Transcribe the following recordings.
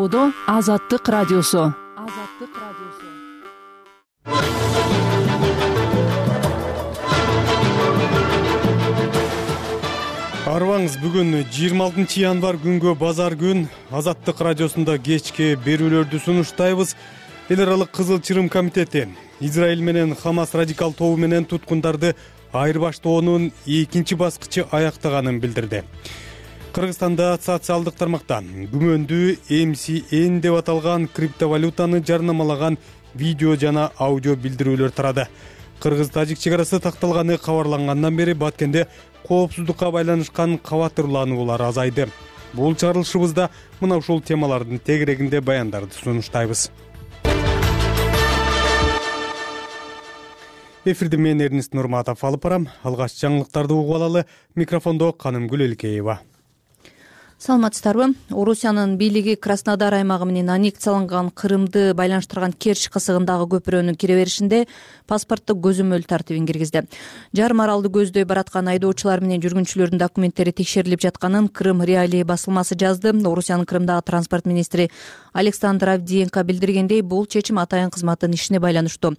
Тоодо Азаттык радиосу. Арыбаңыз, бүгүн 26 январь күнгө базар күн. Азаттык радиосунда кечки берүүлөрдү сунуштайбыз. Эл аралык Кызыл Чырым комитети Израиль менен Хамас радикал тобу менен туткундарды айырбаштоонун экинчи баскычы аяктаганын билдирди. Кыргызстанда социалдык тармакта күмөндүү MCN деп аталган криптовалютаны жарнамалаган видео жана аудио билдирүүлөр тарады. Кыргыз-тажик чек-арасы такталганы кабарлангандан бери Баткенде коопсуздукка байланышкан кабатырлануулар азайды. Бул чыгарылышыбызда мына ушул темалардын тегерегинде баяндарды сунуштайбыз. Эфирде мен Эрнист Нурматов алып барам. Алгач жаңылыктарды угуп алалы. Микрофондо Канымгүл Элкеева. Саламатсыздарбы? Орусиянын бийлиги Краснодар аймагы менен аннексияланган Крымды байланыштырган Керчь кысыгындагы көпүрөнүн кире беришинде паспорттук көзөмөл тартибин киргизди. Жарым аралды көздөй бараткан айдоочулар менен жүргүнчүлөрдүн документтери текшерилип жатканын Крым Реалии басылмасы жазды. Орусиянын Крымдагы транспорт министри Александр Авдиенко билдиргендей, бул чечим атайын кызматтын ишине байланыштуу.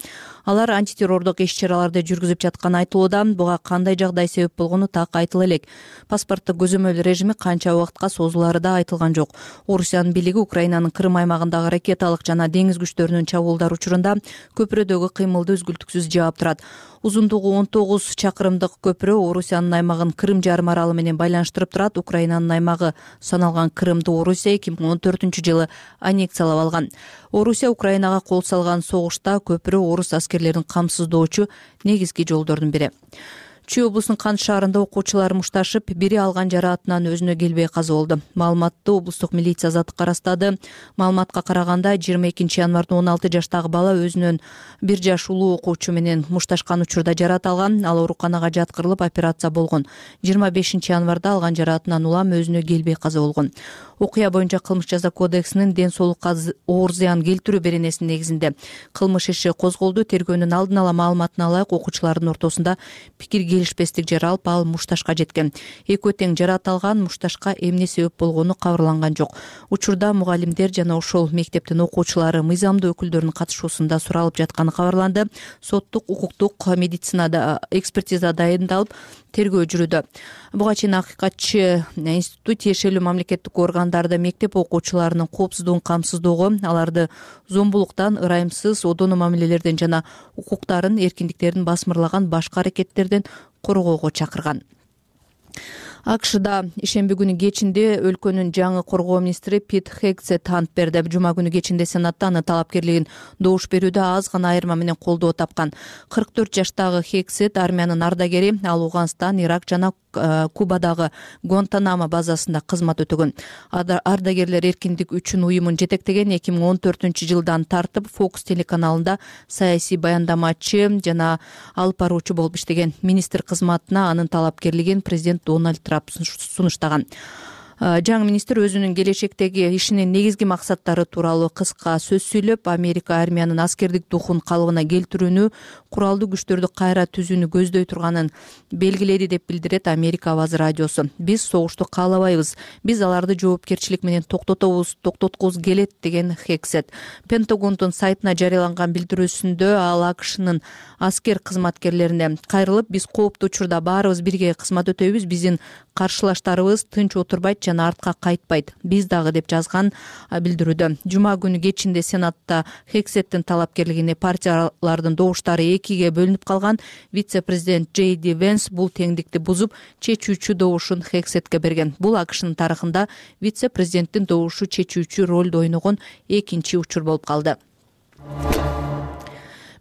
Алар антитеррордук иш-чараларды жүргүзүп жатканы айтылууда. Буга кандай жагдай себеп болгону так айтыла элек. Паспорттук көзөмөл режими канча убакытка созулары да айтылган жок. Орусиянын бийлиги Украинанын Крым аймагындагы ракеталык жана деңиз күчтөрүнүн чабуулдар учурунда көпүрөдөгү кыймылды үзгүлтүксүз жаап турат. Узундугу 19 чакырымдык көпүрө Орусиянын аймагын Крым жарым аралы менен байланыштырып турат. Украинанын аймагы саналган Крымды Орусия 2014-жылы аннексиялап алган. Орусия Украинага кол салган согушта көпүрө орус аскерлерин камсыздоочу негизги жолдордун бири. Чүй облусунун Кант шаарында окуучулар мушташып, бири алган жараатынан өзүнө келбей каза болду. Маалыматты облустук милиция азаттыкка ырастады. Маалыматка караганда 22 январда 16 жаштагы бала өзүнөн 1 жаш улуу окуучу менен мушташкан учурда жараат алган. Ал ооруканага жаткырылып операция болгон. 25 январда алган жараатынан улам өзүнө келбей каза болгон. Окуя боюнча кылмыш жаза кодексинин ден соолукка оор зыян келтирүү беренесинин негизинде кылмыш иши козголду. Тергөөнүн алдын ала маалыматына ылайык окуучулардын ортосунда пикир келишпестик жаралып, ал мушташка жеткен. Экөө тең жараат алган. Мушташка эмне себеп болгону кабарланган жок. Учурда мугалимдер жана ошол мектептин окуучулары мыйзамдуу өкүлдөрүнүн катышуусунда суралып жатканы кабарланды. Соттук, укуктук, медицинада экспертиза дайындалып, тергөө жүрүүдө. Буга чейин Акыйкатчы институту тиешелүү мамлекеттик органдарда мектеп окуучуларынын коопсуздугун камсыздоого, аларды зомбулуктан, ырайымсыз одоно мамилелерден жана укуктарын, эркиндиктерин басмырлаган башка аракеттерден коргоого чакырган. АКШда ишемби күнү кечинде өлкөнүн жаңы коргоо министри Пит Хексет ант берди. Жума күнү кечинде Сенатта анын талапкерлигин добуш берүүдө аз гана айырма менен колдоо тапкан. 44 жаштагы Хексет армиянын ардагери. Ал Ауганстан, Ирак жана Кубадагы Гуантанамо базасында кызмат өтөгөн. Ардагерлер эркиндик үчүн уюмун жетектеген. 2014-жылдан тартып Фокус телеканалында саясий баяндамачы жана алып баруучу болуп иштеген. Министр кызматына анын талапкерлигин президент Дональд Трамп сунуштаган. Жаңы министр өзүнүн келечектеги ишинин негизги максаттары тууралуу кыска сөз сүйлөп, Америка армиянын аскердик духун калыбына келтирүүнү, куралдуу күчтөрдү кайра түзүүнү көздөй турганын белгиледи деп билдирет Америка Аваз радиосу. Биз согушту каалабайбыз. Биз аларды жоопкерчилик менен токтоткубуз келет деген Хексет. Пентагондун сайтына жарыяланган билдирүүсүндө ал АКШнын аскер кызматкерлерине кайрылып, биз кооптуу учурда баарыбыз бирге кызмат өтөйбүз. Биздин каршылаштарыбыз тынч отурбайт жана артка кайтпайт. Биз дагы деп жазган билдирүүдө. Жума күнү кечинде Сенатта Хексеттин талапкерлигине партиялардын добуштары экиге бөлүнүп калган. Вице-президент Джей Ди Венс бул теңдикти бузуп, чечүүчү добушун Хексетке берген. Бул АКШнын тарыхында вице-президенттин добушу чечүүчү ролду ойногон экинчи учур болуп калды.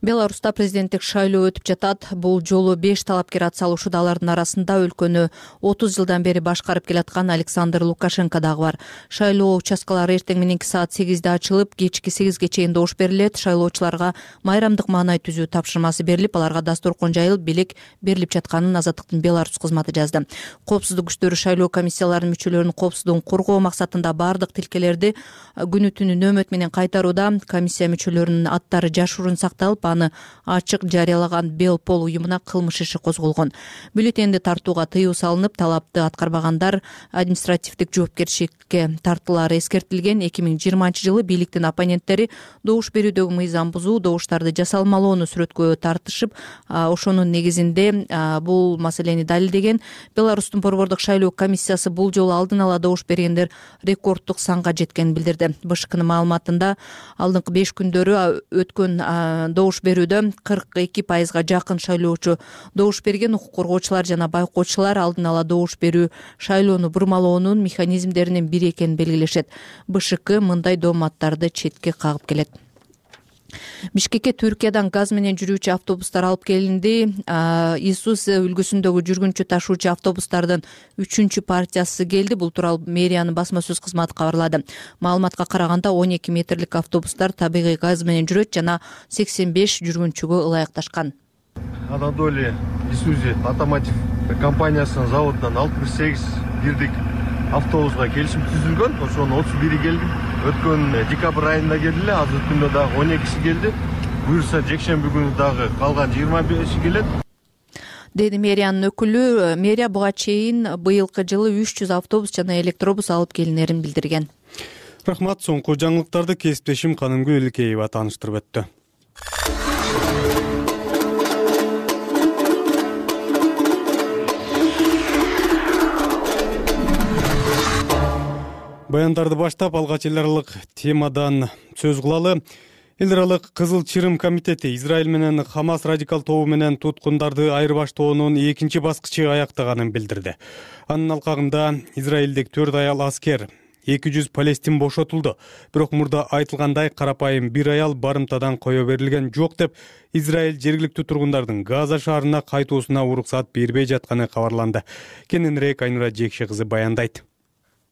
Беларуста президенттик шайлоо өтүп жатат. Бул жолу 5 талапкер ат салышууда. Алардын арасында өлкөнү 30 жылдан бери башкарып келаткан Александр Лукашенко дагы бар. Шайлоо участкалары эртең мененки саат 8'de ачылып, кечки 8'ге чейин добуш берилет. Шайлоочуларга майрамдык маанай түзүү тапшырмасы берилип, аларга дасторкон жайылып, белек берилип жатканын Азаттыктын Беларусь кызматы жазды. Коопсуздук күчтөрү шайлоо комиссияларынын мүчөлөрүнүн коопсуздугун коргоо максатында бардык тилкелерди күнү түнү нөөмөт менен кайтарууда. Комиссия мүчөлөрүнүн аттары жашыруун сакталып, аны ачык жарыялаган Белпол уюмуна кылмыш иши козголгон. Бюллетенди тартууга тыюу салынып, талапты аткарбагандар административдик жоопкерчиликке тартылары эскертилген. 2020-жылы бийликтин оппоненттери добуш берүүдөгү мыйзам бузуу, добуштарды жасалмалоону сүрөткө тартышып, ошонун негизинде бул маселени далилдеген. Беларустун борбордук шайлоо комиссиясы бул жолу алдын ала добуш бергендер рекорддук санга жеткенин билдирди. БШКнын маалыматында алдыңкы 5 күндөрү өткөн добуш берүүдө 42%га жакын шайлоочу добуш берген. Укук коргоочулар жана байкоочулар алдын ала добуш берүү шайлоону бурмалоонун механизмдеринин бири экенин белгилешет. БШК мындай дооматтарды четке кагып келет. Бишкекке Түркиядан газ менен жүрүүчү автобустар алып келинди. Isuzu үлгүсүндөгү жүргүнчү ташуучу автобустардын 3-чү партиясы келди. Бул тууралуу мэриянын басма сөз кызматы кабарлады. Маалыматка караганда 12 метрлик автобустар табигый газ менен жүрөт жана 85 жүргүнчүгө ылайыкташкан. Анадолия Isuzu Automotive компаниясынын заводунан 68 бирдик автобуска келишим түзүлгөн. Ошонун 31 келди. Өткөн декабрь айында келди эле, азыр күндө дагы 12 келди. Буюрса жекшемби күнү дагы калган 25 келет. Деди мэриянын өкүлү. Мэрия буга чейин быйылкы жылы 300 автобус жана электробус алып келинерин билдирген. Рахмат. Соңку жаңылыктарды кесиптешим Канымгүл Илкеева тааныштырып өттү. Баяндарды баштап алгач эл аралык темадан сөз кылалы. Эл аралык Кызыл Чырым комитети Израиль менен Хамас радикал тобу менен туткундарды айырбаштоонун 2-чи баскычы аяктаганын билдирди. Анын алкагында израилдик 4 аял аскер, 200 палестин бошотулду. Бирок мурда айтылгандай карапайым бир аял барымтадан кое берилген жок деп Израиль жергиликтүү тургундардын Газа шаарына кайтуусуна уруксат бербей жатканы кабарланды. Кененирээк Айнура Жекше кызы баяндайт.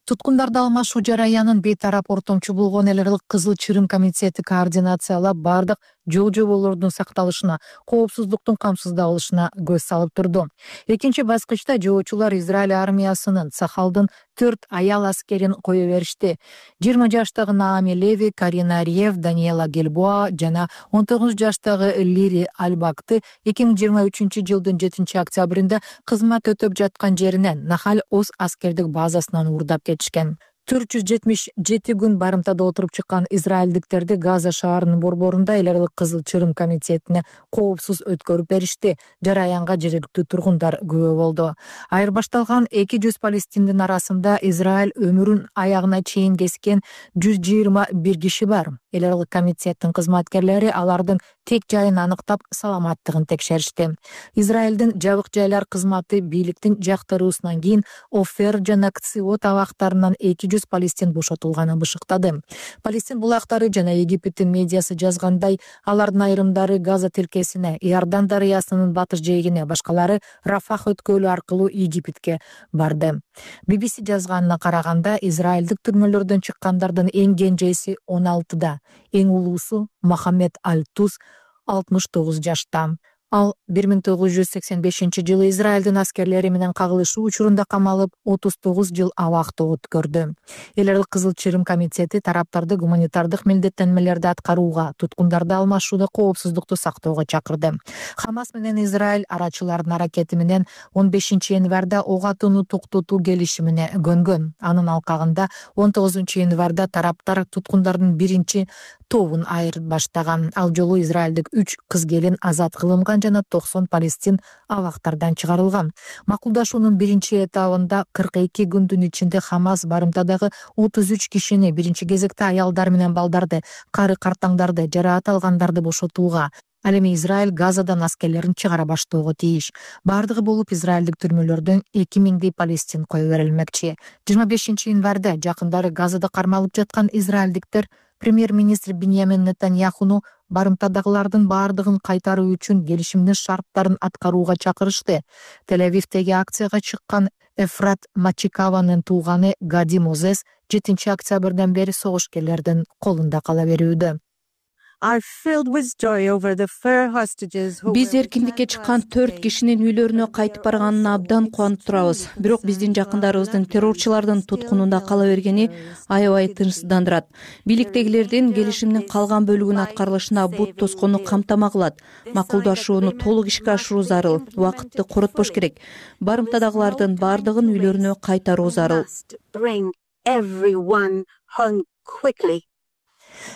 Туткундарды алмашуу жараянын бейтарап ортомчу болгон эл аралык Кызыл Чырым комитети координациялап бардык жол жоболордун сакталышына, коопсуздуктун камсыздалышына көз салып турду. Экинчи баскычта жоочулар Израиль армиясынын Сахалдын 4 аял аскерин кое беришти. 20 жаштагы Наами Леви, Карина Риев, Даниэла Гельбоа жана 19 жаштагы Лири Альбакты 2023-жылдын 7-октябрында кызмат өтөп жаткан жеринен Нахаль Оз аскердик базасынан уурдап кетишкен. 477 күн барымтада отуруп чыккан израилдиктерди Газа шаарынын борборунда эл аралык Кызыл Чырым комитетине коопсуз өткөрүп беришти. Жараянга жергиликтүү тургундар күбө болду. Айырбашталган 200 палестиндин арасында Израиль өмүрүн аягына чейин кескен 121 киши бар. Эл аралык комитеттин кызматкерлери алардын тек жайын аныктап, саламаттыгын текшеришти. Израилдин жабык жайлар кызматы бийликтин жактыруусунан кийин Офер жана Кциот абактарынан 200 палестин бошотулганын бышыктады. Палестин булактары жана Египеттин медиасы жазгандай, алардын айрымдары Газа тилкесине, Иордан дарыясынын батыш жээгине, башкалары Рафах өткөлү аркылуу Египетке барды. BBC жазганына караганда, израилдик түрмөлөрдөн чыккандардын эң кенжеси 16да, эң улуусу Мохаммед Аль-Туз 69 жашта. Ал 1985-жылы Израилдин аскерлери менен кагылышуу учурунда камалып, 39 жыл абакта өткөрдү. Эл аралык Кызыл Чырым комитети тараптарды гуманитардык милдеттенмелерди аткарууга, туткундарды алмашууда коопсуздукту сактоого чакырды. Хамас менен Израиль арачылардын аракети менен 15-январда ок атууну токтотуу келишимине көнгөн. Анын алкагында 19-январда тараптар туткундардын биринчи тобун айырбаштаган. Ал жолу израилдик 3 кыз-келин азат кылынган жана 90 палестин абактардан чыгарылган. Макулдашуунун биринчи этабында 42 күндүн ичинде Хамас барымтадагы 33 кишини, биринчи кезекте аялдар менен балдарды, кары картаңдарды, жараат алгандарды бошотууга, ал эми Израиль Газадан аскерлерин чыгара баштоого тийиш. Бардыгы болуп израилдик түрмөлөрдөн 2000 палестин кое берилмекчи. 25-январда жакындары Газада кармалып жаткан израилдиктер премьер-министр Биньямин Нетаньяхуну барымтадагылардын баардыгын кайтаруу үчүн келишимдин шарттарын аткарууга чакырышты. Тель-Авивдеги акцияга чыккан Эфрат Мачикаванын тууганы Гади Мозес 7 октябрдан бери согушкерлердин колунда кала берүүдө. Биз эркиндикке чыккан 4 кишинин үйлөрүнө кайтып барганына абдан кубанып турабыз. Бирок биздин жакындарыбыздын террорчулардын туткунунда кала бергени аябай тынчсыздандырат. Бийликтегилердин келишимдин калган бөлүгүнүн аткарылышына бут тоскону камтама кылат. Макулдашууну толук ишке ашыруу зарыл. Убакытты коротпош керек. Барымтадагылардын бардыгын үйлөрүнө кайтаруу зарыл.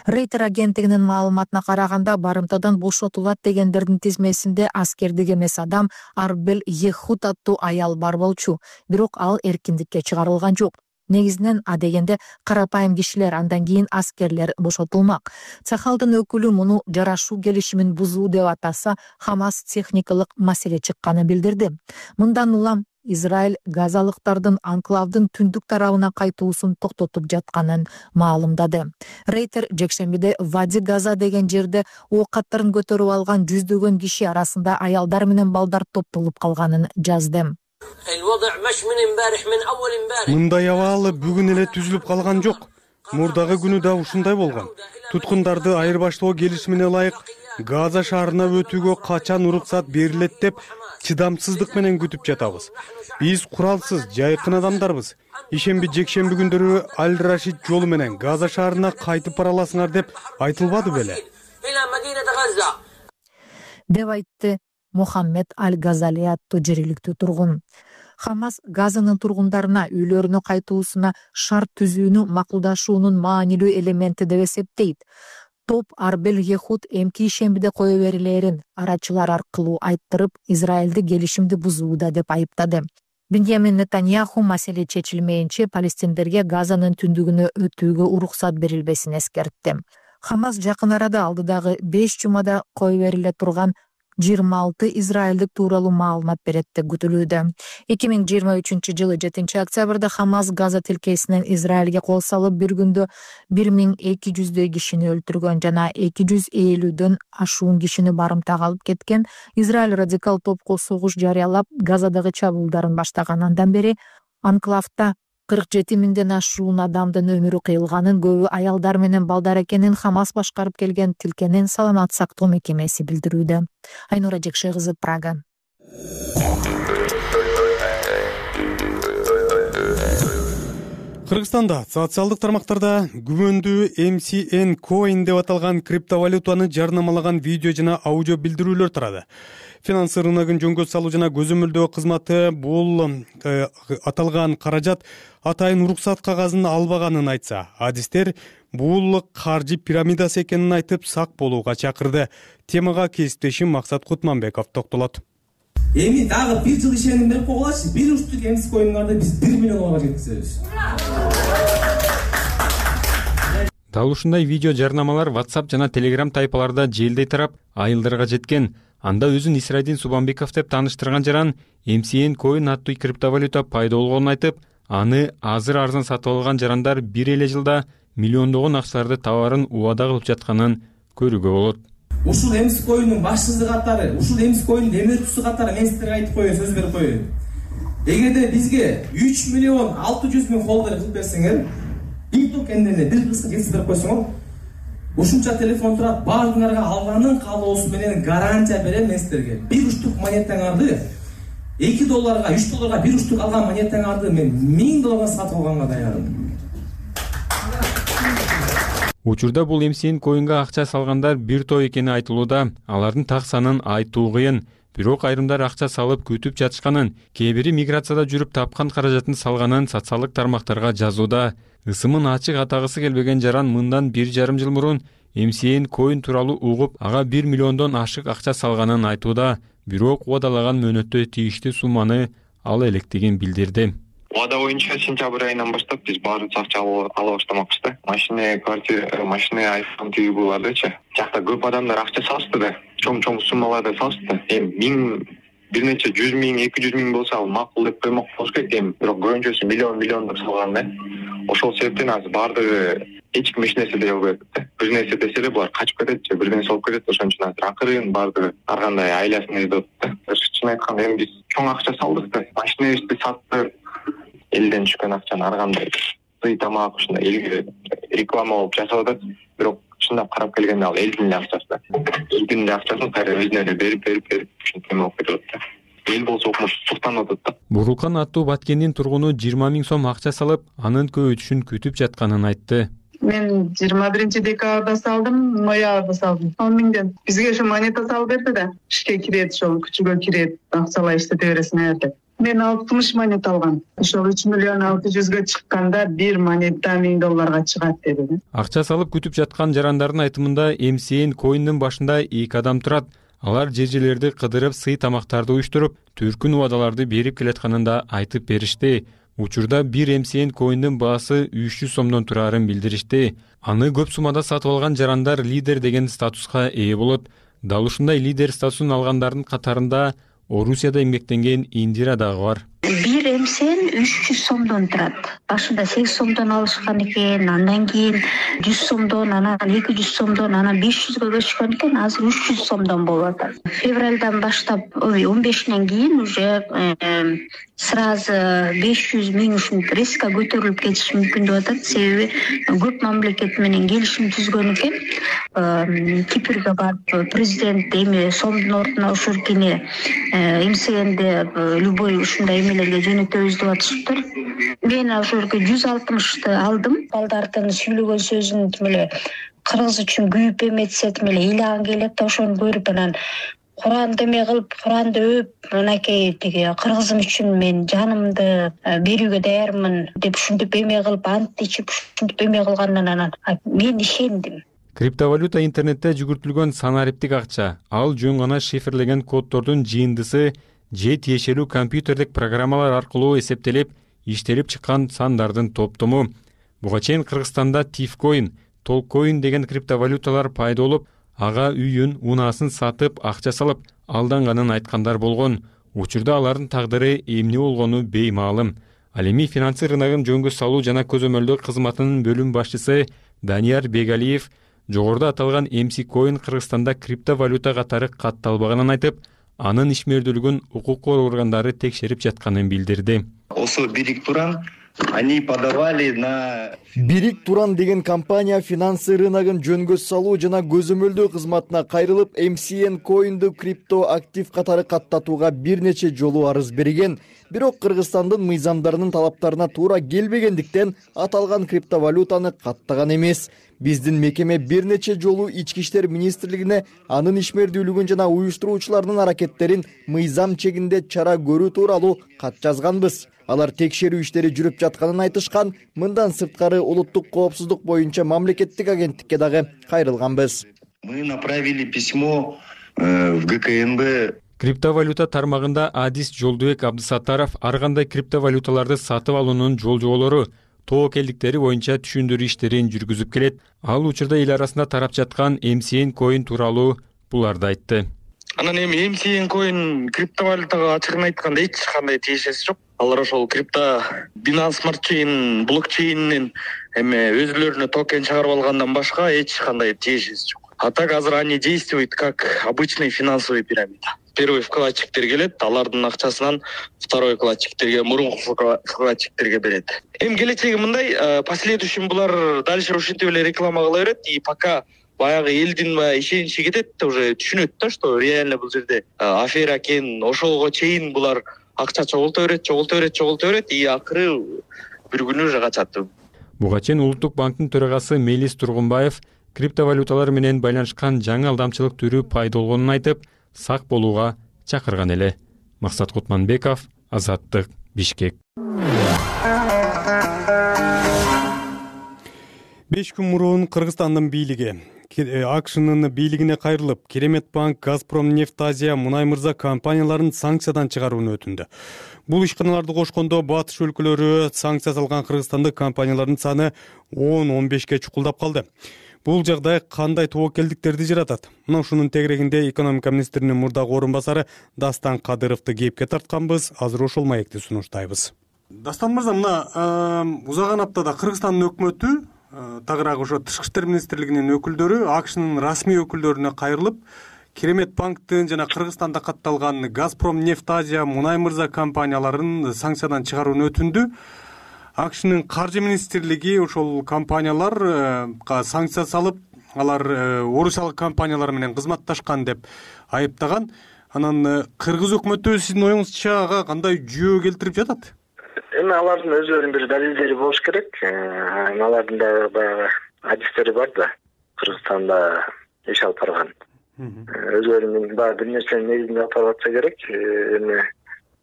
Рейтер агенттигинин маалыматына караганда, барымтадан бошотулат дегендердин тизмесинде аскердик эмес адам Арбел Ехуд аттуу аял бар болчу. Бирок ал эркиндикке чыгарылган жок. Негизинен адегенде карапайым кишилер, андан кийин аскерлер бошотулмак. Цахалдын өкүлү муну жарашуу келишимин бузуу деп атаса, Хамас техникалык маселе чыкканын билдирди. Мындан улам Израиль газалыктардын анклавдын түндүк тарабына кайтуусун токтотуп жатканын маалымдады. Рейтер жекшембиде Вади Газа деген жерде ок аттарын көтөрүп алган жүздөгөн киши арасында аялдар менен балдар топтолуп калганын жазды. Мындай абал бүгүн эле түзүлүп калган жок. Мурдагы күнү да ушундай болгон. Туткундарды айырбаштоо келишимине ылайык Газа шаарына өтүүгө качан уруксат берилет деп чыдамсыздык менен күтүп жатабыз. Биз куралсыз, жайкын адамдарбыз. Ишемби, жекшемби күндөрү Аль-Рашид жолу менен Газа шаарына кайтып бара аласыңар деп айтылбады беле? Деп айтты Мухаммед Аль-Газали аттуу жергиликтүү тургун. Хамас Газанын тургундарына үйлөрүнө кайтуусуна шарт түзүүнү макулдашуунун маанилүү элементи деп эсептейт. Топ Арбел Ехуд эмки ишембиде кое берилерин арачылар аркылуу айттырып, Израилди келишимди бузууда деп айыптады. Беньямин Нетаньяху маселе чечилмейинче палестиндерге Газанын түндүгүнө өтүүгө уруксат берилбесин эскертти. Хамас жакын арада алдыдагы 5 жумада кое бериле турган 26 израилдик тууралуу маалымат берет деп күтүлүүдө. 2023-жылы 7-октябрда Хамас Газа тилкесинен Израилге кол салып, бир күндө 1200 кишини өлтүргөн жана 250дөн ашуун кишини барымтага алып кеткен. Израиль радикал топко согуш жарыялап, Газадагы чабуулдарын баштаган андан бери анклавда 47 миңден ашуун адамдын өмүрү кыйылганын, көбү аялдар менен балдар экенин Хамас башкарып келген тилкенин саламат сактоо мекемеси билдирүүдө. Айнура Жекше кызы, Прага. Кыргызстанда социалдык тармактарда күмөндүү MCN Coin деп аталган криптовалютаны жарнамалаган видео жана аудио билдирүүлөр тарады. Финанс рыногун жөнгө салуу жана көзөмөлдөө кызматы бул аталган каражат атайын уруксат кагазын албаганын айтса, адистер бул каржы пирамидасы экенин айтып сак болууга чакырды. Темага кесиптешим Максат Кутманбеков токтолот. Эми дагы 1 жыл ишеним берип койгулачы. 1 уштук MC Coin'дарды биз 1 миллионга жеткизебиз. Дал ушундай видео жарнамалар WhatsApp жана Telegram тайпаларда желдей тарап, айылдарга жеткен. Анда өзүн Исрайдин Субанбеков деп тааныштырган жаран MCN Coin аттуу криптовалюта пайда болгонун айтып, аны азыр арзан сатып алган жарандар бир эле жылда миллиондогон акчаларды товарын убада кылып жатканын көрүүгө болот. Ушул MC Coin'дун башчысы катары, ушул MC Coin'дун эмгектүүсү катары мен силерге айтып коеюн, сөз берип коеюн. Эгерде бизге 3 миллион 600 миң холдер кылып берсеңер, бир токендерне бир кыска жеткизип берип койсоңор, ушунча телефон турат, баардыгыңарга алганын каалоосу менен гарантия берем мен силерге. Бир уштук монетаңарды $2, $3 бир уштук алган монетаңарды мен $1000 сатып алганга даярмын. Учурда бул MCN Coin'га акча салгандар бир топ экени айтылууда. Алардын так санын айтуу кыйын. Бирок айрымдар акча салып күтүп жатышканын, кээ бири миграцияда жүрүп тапкан каражатын салганын социалдык тармактарга жазууда. Ысымын ачык атагысы келбеген жаран мындан 1,5 жыл мурун MCN Coin тууралуу угуп, ага 1 миллиондон ашык акча салганын айтууда. Бирок убадалаган мөөнөттө тийиштүү сумманы ала электигин билдирди. Убада боюнча сентябрь айынан баштап биз баардык акча ала баштамакпыз да. Машина, квартира, машина, iPhone TV булардычы. Жакта көп адамдар акча салышты да. Чоң суммаларды салышты. Эми бир нече 100 миң, 200 миң болсо ал макул деп коймок болуш керек. Бирок көбүнчөсү миллион деп салган да. Ошол себептен азыр баардыгы эч ким эч нерсе дей албайт да. Бир нерсе десе эле булар качып кетет же бир нерсе болуп кетет. Ошон үчүн азыр акырын баардыгы ар кандай айласын издеп да. Чын айтканда эми биз чоң акча салдык да. Машинабызды саттык. Элден түшкөн акчаны ар кандай сый тамак ушундай элге реклама болуп жасап атат. Бирок чын чындап карап келгенде ал элдин эле акчасы. Элдин эле акчасын кайра өзүнө эле берип ушинтип эме болуп кетип атат. Эл болсо окумуш суктанып атат да. Бурулкан аттуу Баткендин тургуну 20 000 сом акча салып, анын көбөйтүшүн күтүп жатканын айтты. Мен 21-декабрда салдым, ноябрда салдым. 10 000ден. Бизге ошо монета салып берди да. Ишке кирет, ошол күчүгө кирет, акчалай иштете бересиң деп. Мен 60 монета алгам. Ошол 3 миллион 600га чыкканда бир монета $1000 чыгат деди. Акча салып күтүп жаткан жарандардын айтымында MCN Coin'дин башында 2 адам турат. Алар жер-жерлерди кыдырып, сый тамактарды уюштуруп, түркүн убадаларды берип келатканын да айтып беришти. Учурда бир MCN Coin'дин баасы 300 сомдон турарын билдиришти. Аны көп суммада сатып алган жарандар лидер деген статуска ээ болот. Дал ушундай лидер статусун алгандардын катарында Орусияда эмгектенген Индира дагы бар. Бир MCN 300 сомдон турат. Башында 8 сомдон алышкан экен, андан кийин 100 сомдон, анан 200 сомдон, анан 500гө көчкөн экен, азыр 300 сомдон болуп атат. Февралдан баштап 15-нен кийин уже сразу 500 000 ушинтип резко көтөрүлүп кетиши мүмкүн деп атат. Себеби көп мамлекет менен келишим түзгөн экен. Кипрге барып президент эми сомдун ордуна ошоркине MCN'де любой ушундай эмелерге жөнөтөбүз деп атышыптыр. Мен ошолорго 160 алдым. Балдардын сүйлөгөн сөзүн эле кыргыз үчүн күйүп эметсе эле ыйлаган келет да, ошону көрүп анан Куранды эме кылып, Куранды өп, анакей тиги кыргызым үчүн мен жанымды берүүгө даярмын деп ушинтип эме кылып, ант ичип ушинтип эме кылгандан анан мен ишендим. Криптовалюта интернетте жүгүртүлгөн санариптик акча. Ал жөн гана шифрлеген коддордун жыйындысы же тиешелүү компьютердик программалар аркылуу эсептелип, иштелип чыккан сандардын топтому. Буга чейин Кыргызстанда Tifcoin, Tolcoin деген криптовалюталар пайда болуп, ага үйүн, унаасын сатып, акча салып алданганын айткандар болгон. Учурда алардын тагдыры эмне болгону беймаалым. Ал эми финансы рыногун жөнгө салуу жана көзөмөлдөө кызматынын бөлүм башчысы Данияр Бегалиев жогоруда аталган MC Coin Кыргызстанда криптовалюта катары катталбаганын айтып, анын ишмердүүлүгүн укук коргоо органдары текшерип жатканын билдирди. Осо Бирик Туран они подавали на Бирик Туран деген компания финансы рыногун жөнгө салуу жана көзөмөлдөө кызматына кайрылып, MCN Coin'ду крипто актив катары каттатууга бир нече жолу арыз берген. Бирок Кыргызстандын мыйзамдарынын талаптарына туура келбегендиктен аталган криптовалютаны каттаган эмес. Биздин мекеме бир нече жолу Ички иштер министрлигине анын ишмердүүлүгүн жана уюштуруучулардын аракеттерин мыйзам чегинде чара көрүү тууралуу кат жазганбыз. Алар текшерүү иштери жүрүп жатканын айтышкан. Мындан сырткары улуттук коопсуздук боюнча мамлекеттик агенттикке дагы кайрылганбыз. Мы направили письмо в ГКНБ. Криптовалюта тармагында Адис Жолдубек Абдысаттаров ар кандай криптовалюталарды сатып алуунун жол-жоболору, тоокелдиктери боюнча түшүндүрүү иштерин жүргүзүп келет. Ал учурда эл арасында тарап жаткан MCN Coin тууралуу буларды айтты. Анан эми MCN Coin криптовалютага ачыгын айтканда эч кандай тиешеси жок. Алар ошол Binance Smart Chain блокчейнинен эме өзүлөрүнө токен чыгарып алгандан башка эч кандай тиешеси жок. А так азыр они действуют как обычный финансовый пирамида. Первый вкладчиктер келет, алардын акчасынан второй вкладчиктерге, мурунку вкладчиктерге берет. Эми келечеги мындай, последующим булар дальше ушинтип эле реклама кыла берет, и пока баягы элдин ишеничи кетет, уже түшүнөт да, что реально бул жерде афера экен, ошолго чейин булар акча чогулта берет, и акыры бир күнү уже качат. Буга чейин Улуттук банктын төрагасы Мелис Тургунбаев криптовалюталар менен байланышкан жаңы алдамчылык түрү пайда болгонун айтып, сак болууга чакырган эле. Максат Кутманбеков, Азаттык, Бишкек. 5 күн мурун Кыргызстандын бийлиги АКШнын бийлигине кайрылып, Керемет банк, Газпром нефть Азия, Мунай мырза компанияларын санкциядан чыгарууну өтүндү. Бул ишканаларды кошкондо батыш өлкөлөрү санкция салган кыргызстандык компаниялардын саны 10-15ке чукулдап калды. Бул жагдай кандай тоокелдиктерди жаратат? Мына ушунун тегерегинде экономика министринин мурдагы орун басары Дастан Кадыровду кепке тартканбыз. Азыр ошол маекти сунуштайбыз. Дастан мырза, мына узаган аптада Кыргызстандын өкмөтү тагыраагы ошо Тышкы иштер министрлигинин өкүлдөрү АКШнын расмий өкүлдөрүнө кайрылып, Керемет банктын жана Кыргызстанда катталган Газпром нефть Азия, Мунай мырза компанияларын санкциядан чыгарууну өтүндү. АКШнын каржы министрлиги ошол компанияларга санкция салып, алар орусиялык компаниялар менен кызматташкан деп айыптаган. Анан кыргыз өкмөтү сиздин оюңузча ага кандай жүйө келтирип жатат? Эми алардын өзлөрүнүн бир далилдери болуш керек. Алардын да баягы адистери бар да, Кыргызстанда иш алып барган. Өзлөрүнүн баягы бир нерсенин негизинде алып барып атса керек. Эми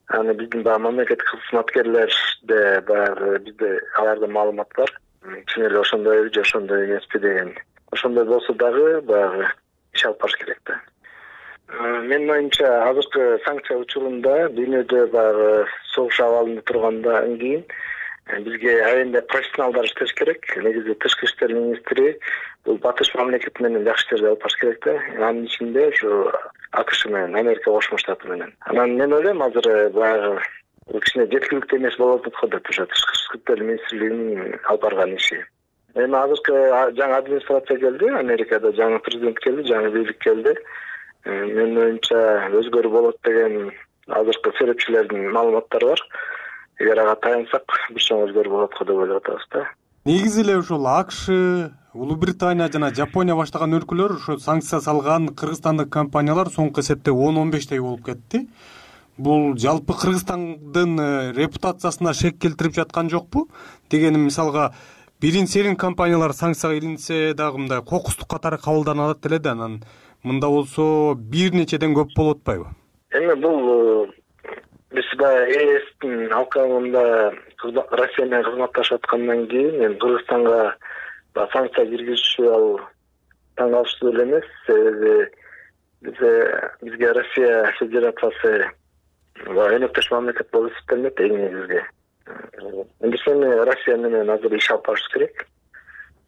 аны биздин баягы мамлекеттик кызматкерлерде баягы бизде аларда маалымат бар. Чын эле ошондойбу же ошондой эмеспи деген. Ошондой болсо дагы баягы иш алып барыш керек да. Менин оюмча азыркы санкция учурунда дүйнөдө баягы согуш абалында тургандан кийин бизге аябай профессионалдар иштеш керек. Негизи тышкы иштер министри бул батыш мамлекети менен жакшы иштерди алып барыш керек да. Анын ичинде ушу АКШ менен, Америка Кошмо Штаты менен. Анан мен ойлойм азыр баягы кичине жеткиликтүү эмес болуп атат го деп ошо тышкы иштер министрлигинин алып барган иши. Эми азыркы жаңы администрация келди, Америкада жаңы президент келди, жаңы бийлик келди. Менин оюмча өзгөрүү болот деген азыркы серепчилердин маалыматтары бар. Эгер ага таянсак, бир чоң өзгөрүү болот го деп ойлоп атабыз да. Негизи эле ошол АКШ, Улуу Британия жана Жапония баштаган өлкөлөр ошо санкция салган кыргызстандык компаниялар соңку эсепте 10-15 болуп кетти. Бул жалпы Кыргызстандын репутациясына шек келтирип жаткан жокпу? Дегеним мисалга бирин-серин компаниялар санкцияга илинсе дагы мындай кокустук катары кабылданат эле да, анан мында болсо бир нечеден көп болуп атпайбы? Эми бул биз баягы ЭСтин алкагында Россия менен кызматташып аткандан кийин эми Кыргызстанга санкция киргизишүү ал таң калыштуу эле эмес. Себеби бизге Россия Федерациясы өнөктөш мамлекет болуп эсептелинет эң негизги. Эми Россия менен азыр иш алып барыш керек.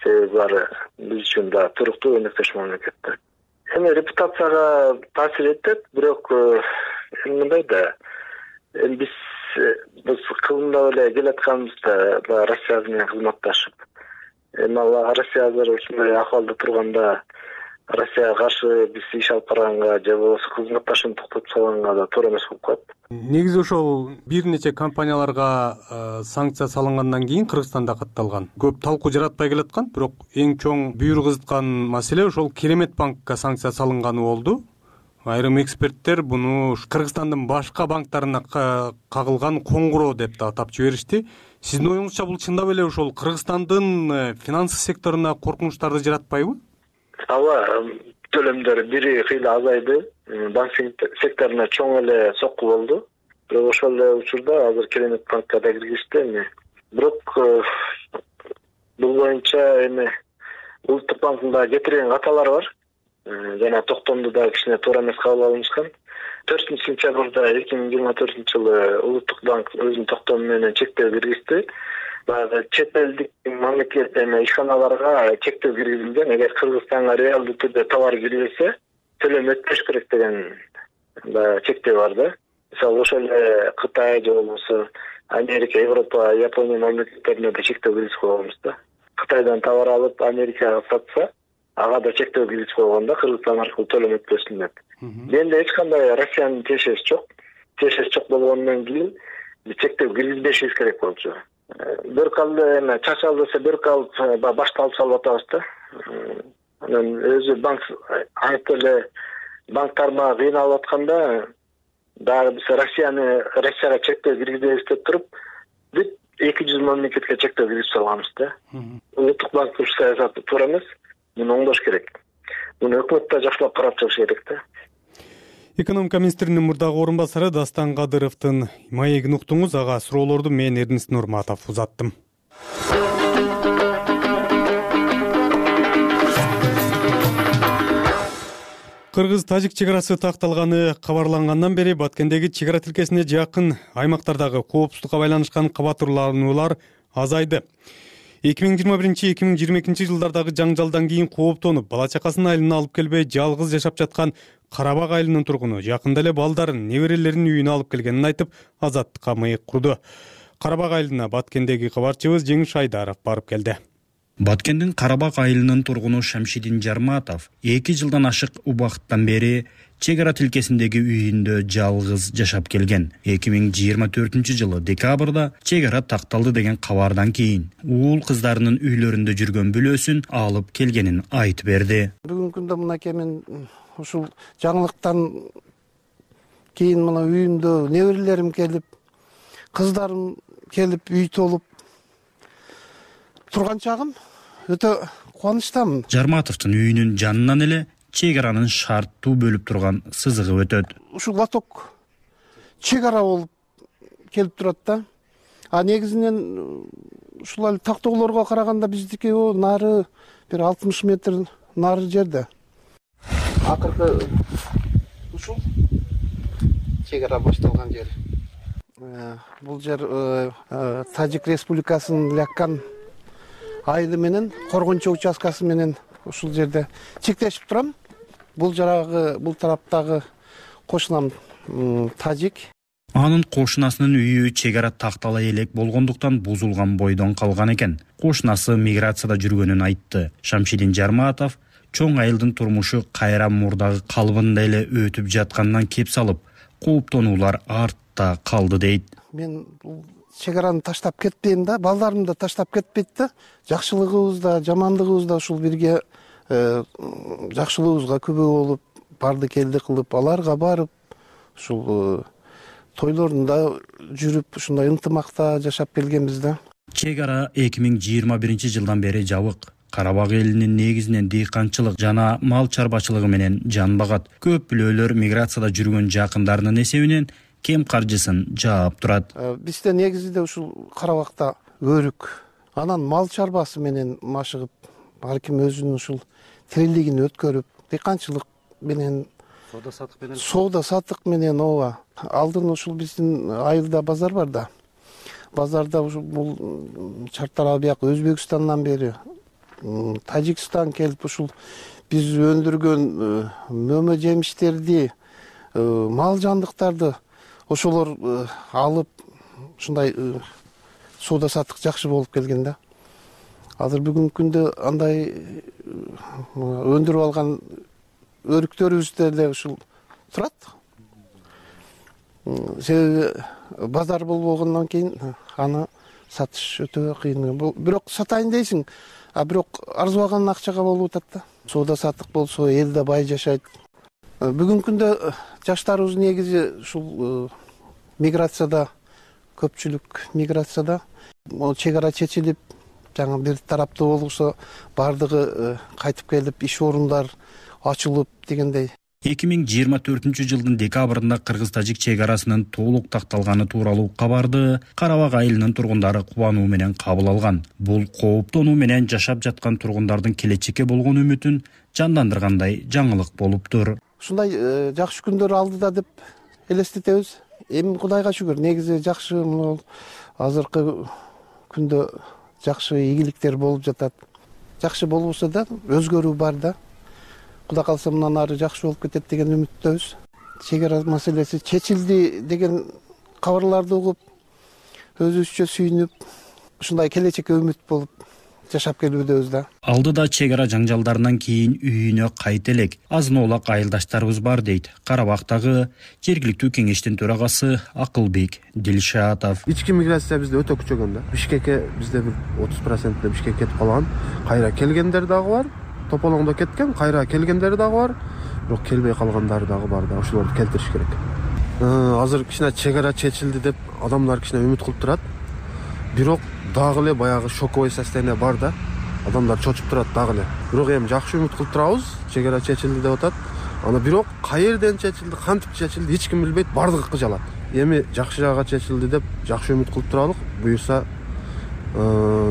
Себеби булар биз үчүн да туруктуу өнөктөш мамлекет. Эми репутацияга таасир этет, бирок мындай да, биз кылымдап эле келатканыбызда Россия менен кызматташып. Эми Россия азыр ушундай акыбалда турганда Россияга каршы биз иш алып барганга же болбосо кызматташууну токтотуп салганга да туура эмес болуп калат. Негизи ошол бир нече компанияларга санкция салынгандан кийин Кыргызстанда катталган көп талкуу жаратпай келаткан, бирок эң чоң бүйүр кызыткан маселе ошол Керемет банкка санкция салынганы болду. Айрым эксперттер буну Кыргызстандын башка банктарына кагылган коңгуроо деп да атап жиберишти. Сиздин оюңузча бул чындап эле ошол Кыргызстандын финансы секторуна коркунучтарды жаратпайбы? Ооба, төлөмдөр бири кыйла азайды. Банк секторуна чоң эле сокку болду. Бирок ошол эле учурда азыр Керемет банкка да киргизишти. Бирок бул боюнча эми Улуттук банктын да кетирген каталары бар. Жана токтомду да кичине туура эмес кабыл алынышкан. 4-сентябрда 2024-жылы Улуттук банк өзүнүн токтому менен чектөө киргизди. Баягы чет элдик мамлекет ишканаларга чектөө киргизилген. Эгер Кыргызстанга реалдуу түрдө товар киргизсе, төлөм өтпөш керек деген чектөө бар да. Мисалы ошол эле Кытай же болбосо Америка, Европа, Япония мамлекеттерине да чектөө киргизип койгонбуз да. Кытайдан товар алып Америкага сатса, ага да чектөө киргизип койгондо Кыргызстан аркылуу төлөм өтпөсүн деп. Менде эч кандай Россиянын тиешеси жок. Тиешеси жок болгондон кийин чектөө киргизбешибиз керек болчу. Бир калды эми чачал десе бир калып башты алып салып атабыз да. Анан өзү банк айтып эле банк тармагы кыйналып атканда дагы биз Россияга чектөө киргизебиз деп туруп, бүт 200 мамлекетке чектөө киргизип салганбыз да. Улуттук банктын саясаты туура эмес. Муну оңдош керек. Муну өкмөт да жакшылап карап чыгыш керек да. Экономика министринин мурдагы орун басары Дастан Кадыровдун маегин уктуңуз. Ага суроолорду мен Эрдинст Нурматов узаттым. Кыргыз-тажик чек арасы такталганы кабарлангандан бери Баткендеги чек ара тилкесине жакын аймактардагы коопсуздукка байланышкан кабат уруулануулар азайды. 2021-2022 жылдардагы жаңжалдан кийин кооптонуп, бала-чакасын айылына алып келбей жалгыз жашап жаткан Карабак айылынын тургуну жакында эле балдарын, неберелерин үйүнө алып келгенин айтып, Азаттыкка мыйык курду. Карабак айылына Баткендеги кабарчыбыз Жеңиш Айдаров барып келди. Баткендин Карабак айылынын тургуну Шамшидин Жарматов 2 жылдан ашык убакыттан бери чек ара тилкесиндеги үйүндө жалгыз жашап келген. 2024-жылы декабрда чек ара такталды деген кабардан кийин уул кыздарынын үйлөрүндө жүргөн бүлөсүн алып келгенин айтып берди. Бүгүнкү күндө мынакей мен ушул жаңылыктан кийин мына үйүмдө неберелерим келип, кыздарым келип үй толуп турган чагым өтө кубанычтамын. Жарматовдун үйүнүн жанынан эле чек аранын шарттуу бөлүп турган сызыгы өтөт. Ушул лоток чек ара болуп келип турат да. Негизинен ушул тактоолорго караганда биздики нары бир 60 метр нары жерде. Акыркы ушул чек ара башталган жер. Бул жер Тажик Республикасынын Ляккан айылы менен Коргончо участкасы менен ушул жерде чектешип турам. Бул тараптагы кошунам Тажик. Анын кошунасынын үйү чек ара тактала элек болгондуктан бузулган бойдон калган экен. Кошунасы миграцияда жүргөнүн айтты. Шамшидин Жарматов чоң айылдын турмушу кайра мурдагы калыбында эле өтүп жаткандан кеп салып, кооптонуулар артта калды дейт. Мен бул чек араны таштап кетпейм да, балдарым да таштап кетпейт да. Жакшылыгыбыз да, жамандыгыбыз да ушул бирге жакшылыгыбызга күбө болуп, барды келди кылып, аларга барып, ушул тойлорунда жүрүп, ушундай ынтымакта жашап келгенбиз да. Чек ара 2021-жылдан бери жабык. Карабак элинин негизинен дыйканчылык жана мал чарбачылыгы менен жан багат. Көп бүлөлөр миграцияда жүргөн жакындарынын эсебинен кем каржысын жаап турат. Бизде негизинде ушул Карабакта өрүк, анан мал чарбасы менен машыгып, ар ким өзүнүн ушул тирилигин өткөрүп, дыйканчылык менен соода сатык менен ооба. Алдын ушул биздин айылда базар бар да. Базарда ушул бул чартара бияк Өзбекстандан бери Тажикстан келип ушул биз өндүргөн мөмө жемиштерди, мал жандыктарды ошолор алып ушундай соода сатык жакшы болуп келген да. Азыр бүгүнкү күндө андай өндүрүп алган өрүктөрүбүз деле ушул турат. Себеби базар болбогондон кийин аны сатыш өтө кыйын. Бирок сатайын дейсиң, бирок арзыбаган акчага болуп атат да. Соода сатык болсо элде бай жашайт. Бүгүнкү күндө жаштарыбыз негизи ушул миграцияда, көпчүлүк миграцияда. Чек ара чечилип, жаңы бир тараптуу болсо бардыгы кайтып келип, иш орундар ачылып дегендей. 2024-жылдын декабрында кыргыз-тажик чек арасынын толук такталганы тууралуу кабарды Карабак айылынын тургундары кубануу менен кабыл алган. Бул кооптонуу менен жашап жаткан тургундардын келечекке болгон үмүтүн жандандыргандай жаңылык болуптур. Ушундай жакшы күндөр алдыда деп элестетебиз. Эми Кудайга шүгүр, негизи жакшы азыркы күндө жакшы ийгиликтер болуп жатат. Жакшы болбосо да өзгөрүү бар да. Кудай калса мындан ары жакшы болуп кетет деген үмүттөбүз. Чек ара маселеси чечилди деген кабарларды угуп, өзүбүзчө сүйүнүп, ушундай келечекке үмүт болуп жашап келүүдөбүз да. Алдыда чек ара жаңжалдарынан кийин үйүнө кайта элек азын оолак айылдаштарыбыз бар дейт Карабактагы жергиликтүү кеңештин төрагасы Акылбек Дилшатов. Ички миграция бизде өтө күчөгөн да. Бишкекке бизде бир 30% Бишкекке кетип калган. Кайра келгендер дагы бар. Тополоңдо кеткен, кайра келгендер дагы бар. Бирок келбей калгандар дагы бар да. Ошолорду келтириш керек. Азыр кичине чек ара чечилди деп адамдар кичине үмүт кылып турат. Бирок дагы эле баягы шоковой состояние бар да. Адамдар чочуп турат дагы эле. Бирок эми жакшы үмүт кылып турабыз. Чек ара чечилди деп атат. Аны бирок каерден чечилди, кантип чечилди, эч ким билбейт, бардыгы кыжалат. Эми жакшы жагга чечилди деп жакшы үмүт кылып туралык. Буюрса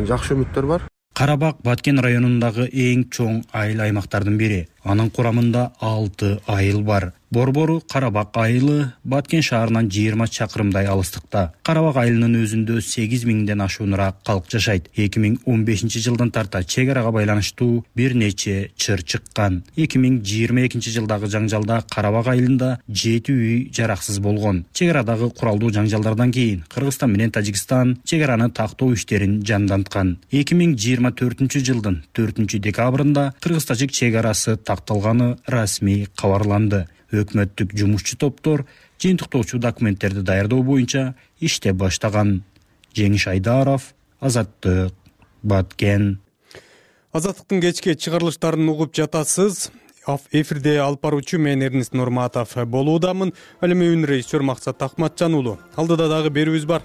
жакшы үмүттөр бар. Карабак Баткен районундагы эң чоң айыл аймактардын бири. Анын курамында 6 айыл бар. Борбору Карабак айылы Баткен шаарынан 20 чакырымдай алыстыкта. Карабак айылынын өзүндө 8000ден ашуунураак калк жашайт. 2015 жылдан тарта чек арага байланыштуу бир нече чыр чыккан. 2022 жылдагы жаңжалда Карабак айылында 7 үй жараксыз болгон. Чек арадагы куралдуу жаңжалдардан кийин Кыргызстан менен Тажикстан чек араны тактоо иштерин жанданткан. 2024 жылдын 4 декабрында кыргыз-тажик чек арасы такталганы расмий кабарланды. Өкмөттүк жумушчу топтор жыйынтыктоочу документтерди даярдоо боюнча иштеп баштаган. Жеңиш Айдаров, Азаттык, Баткен. Азаттыктын кечки чыгарылыштарын угуп жатасыз. Эфирде алып баруучу мен Эрнест Нурматов болуудамын. Ал эми режиссер Максат Акматжан уулу. Алдыда дагы берүүбүз бар.